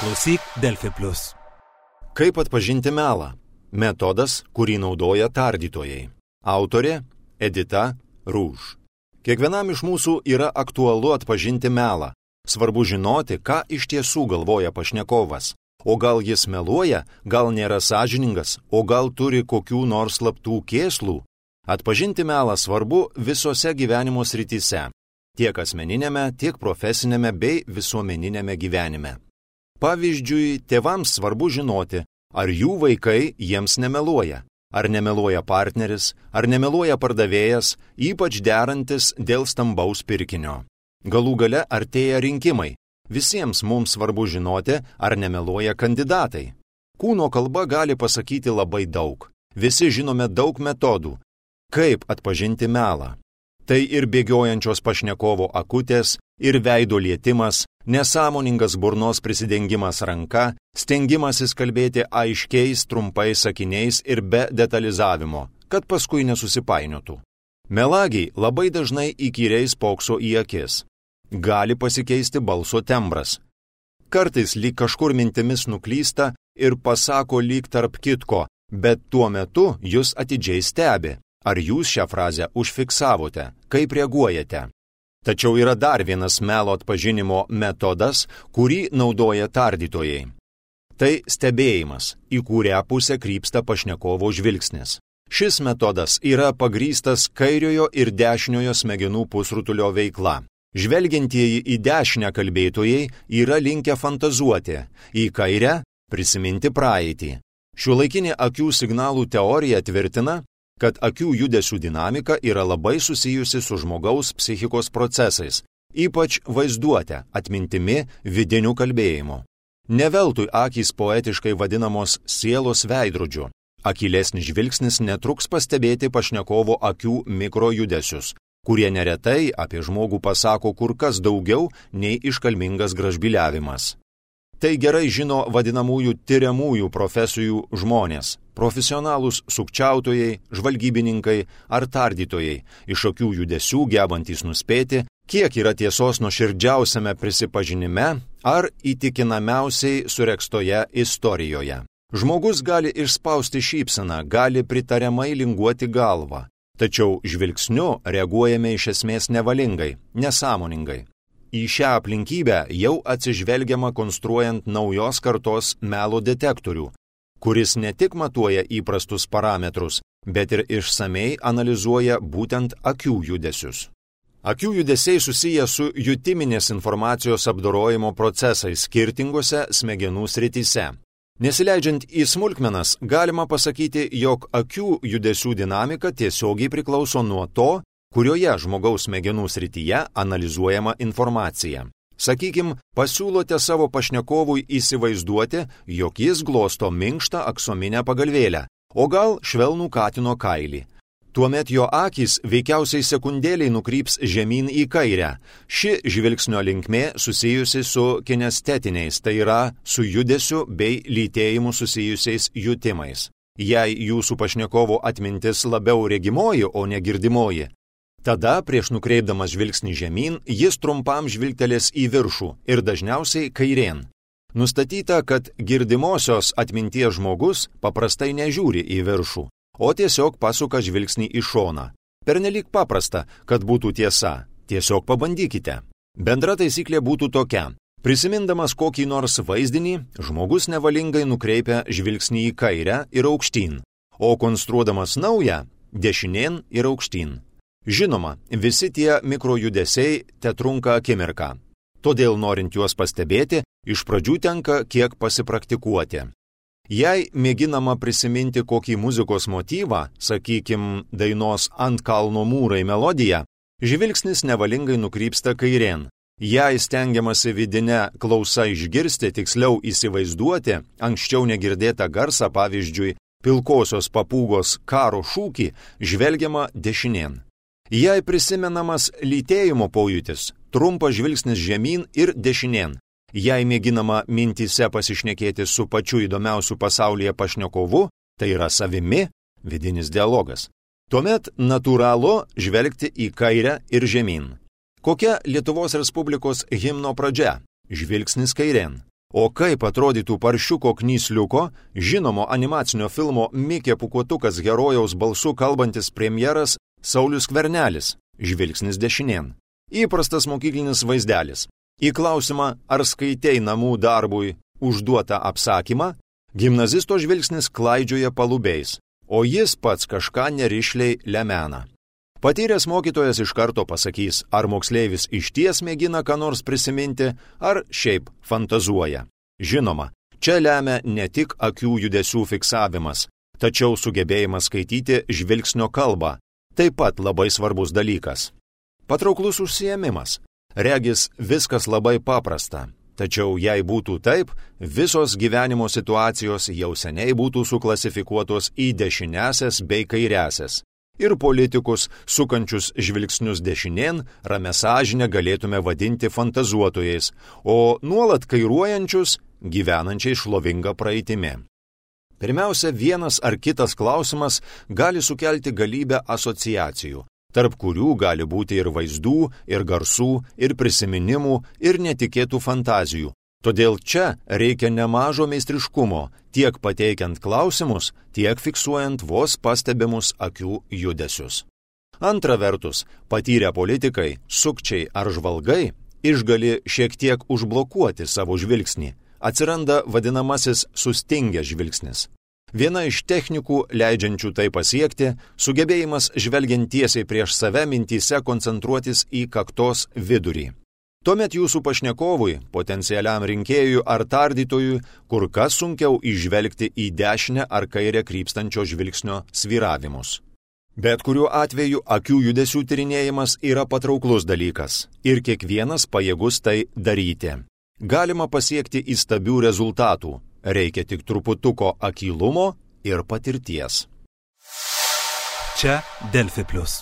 Klausyk Delfi Plus. Kaip atpažinti melą? Metodas, kurį naudoja tardytojai. Autorė Edita Rūž. Kiekvienam iš mūsų yra aktualu atpažinti melą. Svarbu žinoti, ką iš tiesų galvoja pašnekovas. O gal jis meluoja, gal nėra sąžiningas, o gal turi kokių nors slaptų kėslų. Atpažinti melą svarbu visose gyvenimo srityse. Tiek asmeninėme, tiek profesinėme bei visuomeninėme gyvenime. Pavyzdžiui, tėvams svarbu žinoti, ar jų vaikai jiems nemeluoja. Ar nemeluoja partneris, ar nemeluoja pardavėjas, ypač derantis dėl stambaus pirkinio. Galų gale artėja rinkimai. Visiems mums svarbu žinoti, ar nemeluoja kandidatai. Kūno kalba gali pasakyti labai daug. Visi žinome daug metodų. Kaip atpažinti melą? Tai ir bėgiojančios pašnekovo akutės, ir veido lietimas, nesąmoningas burnos prisidengimas ranka, stengimasis kalbėti aiškiais, trumpais sakiniais ir be detalizavimo, kad paskui nesusipainiotų. Melagiai labai dažnai įkyriai spokso į akis. Gali pasikeisti balso tembras. Kartais lyg kažkur mintimis nuklysta ir pasako lyg tarp kitko, bet tuo metu jūs atidžiai stebi. Ar jūs šią frazę užfiksavote, kaip reaguojate? Tačiau yra dar vienas melo atpažinimo metodas, kurį naudoja tardytojai. Tai stebėjimas, į kurią pusę krypsta pašnekovo žvilgsnis. Šis metodas yra pagrįstas kairiojo ir dešiniojo smegenų pusrutulio veikla. Žvelgiantieji į dešinę kalbėtojai yra linkę fantazuoti, į kairę prisiminti praeitį. Šiuolaikinė akių signalų teorija tvirtina, kad akių judesių dinamika yra labai susijusi su žmogaus psichikos procesais, ypač vaizduote, atmintimi, vidiniu kalbėjimu. Ne veltui akys poetiškai vadinamos sielos veidrodžiu. Akylesnis žvilgsnis netruks pastebėti pašnekovo akių mikrojudesius, kurie neretai apie žmogų pasako kur kas daugiau nei iškalmingas gražbyliavimas. Tai gerai žino vadinamųjų tiriamųjų profesijų žmonės. Profesionalūs sukčiautojai, žvalgybininkai ar tardytojai, iš akių judesių gebantys nuspėti, kiek yra tiesos nuoširdžiausiame prisipažinime ar įtikinamiausiai suregztoje istorijoje. Žmogus gali išspausti šypseną, gali pritariamai linguoti galvą, tačiau žvilgsniu reaguojame iš esmės nevalingai, nesąmoningai. Į šią aplinkybę jau atsižvelgiama konstruojant naujos kartos melo detektorių, kuris ne tik matuoja įprastus parametrus, bet ir išsamei analizuoja būtent akių judesius. Akių judesiai susiję su jutiminės informacijos apdorojimo procesais skirtingose smegenų srityse. Nesileidžiant į smulkmenas, galima pasakyti, jog akių judesių dinamika tiesiogiai priklauso nuo to, kurioje žmogaus smegenų srityje analizuojama informacija. Sakykim, pasiūlote savo pašnekovui įsivaizduoti, jog jis glosto minkštą aksominę pagalvėlę, o gal švelnų katino kailį. Tuomet jo akys veikiausiai sekundėliai nukryps žemyn į kairę. Ši žvilgsnio linkmė susijusi su kinestetiniais, tai yra su judesiu bei lytėjimu susijusiais jutimais. Jei jūsų pašnekovo atmintis labiau regimoji, o ne girdimoji, tada, prieš nukreipdamas žvilgsnį žemyn, jis trumpam žvilgtelės į viršų ir dažniausiai kairėn. Nustatyta, kad girdimosios atminties žmogus paprastai nežiūri į viršų, o tiesiog pasuka žvilgsnį į šoną. Pernelyg paprasta, kad būtų tiesa. Tiesiog pabandykite. Bendra taisyklė būtų tokia. Prisimindamas kokį nors vaizdinį, žmogus nevalingai nukreipia žvilgsnį į kairę ir aukštyn, o konstruodamas naują – dešinėn ir aukštyn. Žinoma, visi tie mikrojudesiai tetrunka akimirką. Todėl, norint juos pastebėti, iš pradžių tenka kiek pasipraktikuoti. Jei mėginama prisiminti kokį muzikos motyvą, sakykim, dainos Ant kalno mūrai melodiją, žvilgsnis nevalingai nukrypsta kairėn. Jei stengiamasi vidinę klausą išgirsti, tiksliau įsivaizduoti anksčiau negirdėtą garsą, pavyzdžiui, pilkosios papūgos karo šūkį, žvelgiama dešinėn. Jei prisimenamas lytėjimo pojūtis, trumpas žvilgsnis žemyn ir dešinėn. Jei mėginama mintyse pasišnekėti su pačiu įdomiausiu pasaulyje pašnekovu, tai yra savimi, vidinis dialogas. Tuomet natūralu žvelgti į kairę ir žemyn. Kokia Lietuvos Respublikos himno pradžia? Žvilgsnis kairėn. O kaip atrodytų paršiuko knysliuko, žinomo animacinio filmo Mikė Pūkuotukas herojaus balsu kalbantis premjeras Saulius Skvernelis, žvilgsnis dešinėn. Įprastas mokyklinis vaizdelis. Į klausimą, ar skaitei namų darbui užduotą apsakymą, gimnazisto žvilgsnis klaidžioja palubėis, o jis pats kažką nerišliai lemena. Patyręs mokytojas iš karto pasakys, ar moksleivis išties mėgina ką nors prisiminti, ar šiaip fantazuoja. Žinoma, čia lemia ne tik akių judesių fiksavimas, tačiau sugebėjimas skaityti žvilgsnio kalbą, taip pat labai svarbus dalykas. Patrauklus užsiėmimas. Regis viskas labai paprasta, tačiau jei būtų taip, visos gyvenimo situacijos jau seniai būtų suklasifikuotos į dešiniąsias bei kairiąsias. Ir politikus, sukančius žvilgsnius dešinėn, ramia sąžine galėtume vadinti fantazuotojais, o nuolat kairuojančius gyvenančiai šlovingą praeitimi. Pirmiausia, vienas ar kitas klausimas gali sukelti galybę asociacijų, tarp kurių gali būti ir vaizdų, ir garsų, ir prisiminimų, ir netikėtų fantazijų. Todėl čia reikia nemažo meistriškumo, tiek pateikiant klausimus, tiek fiksuojant vos pastebimus akių judesius. Antra vertus, patyrę politikai, sukčiai ar žvalgai išgali šiek tiek užblokuoti savo žvilgsnį. Atsiranda vadinamasis sustingęs žvilgsnis. Viena iš technikų, leidžiančių tai pasiekti, sugebėjimas žvelgiant tiesiai prieš save mintyse koncentruotis į kaktos vidurį. Tuomet jūsų pašnekovui, potencialiam rinkėjui ar tardytojui, kur kas sunkiau įžvelgti į dešinę ar kairę krypstančio žvilgsnio svyravimus. Bet kuriuo atveju akių judesių tyrinėjimas yra patrauklus dalykas ir kiekvienas pajėgus tai daryti. Galima pasiekti įstabių rezultatų, reikia tik truputuko akylumo ir patirties. Čia Delfi Plus.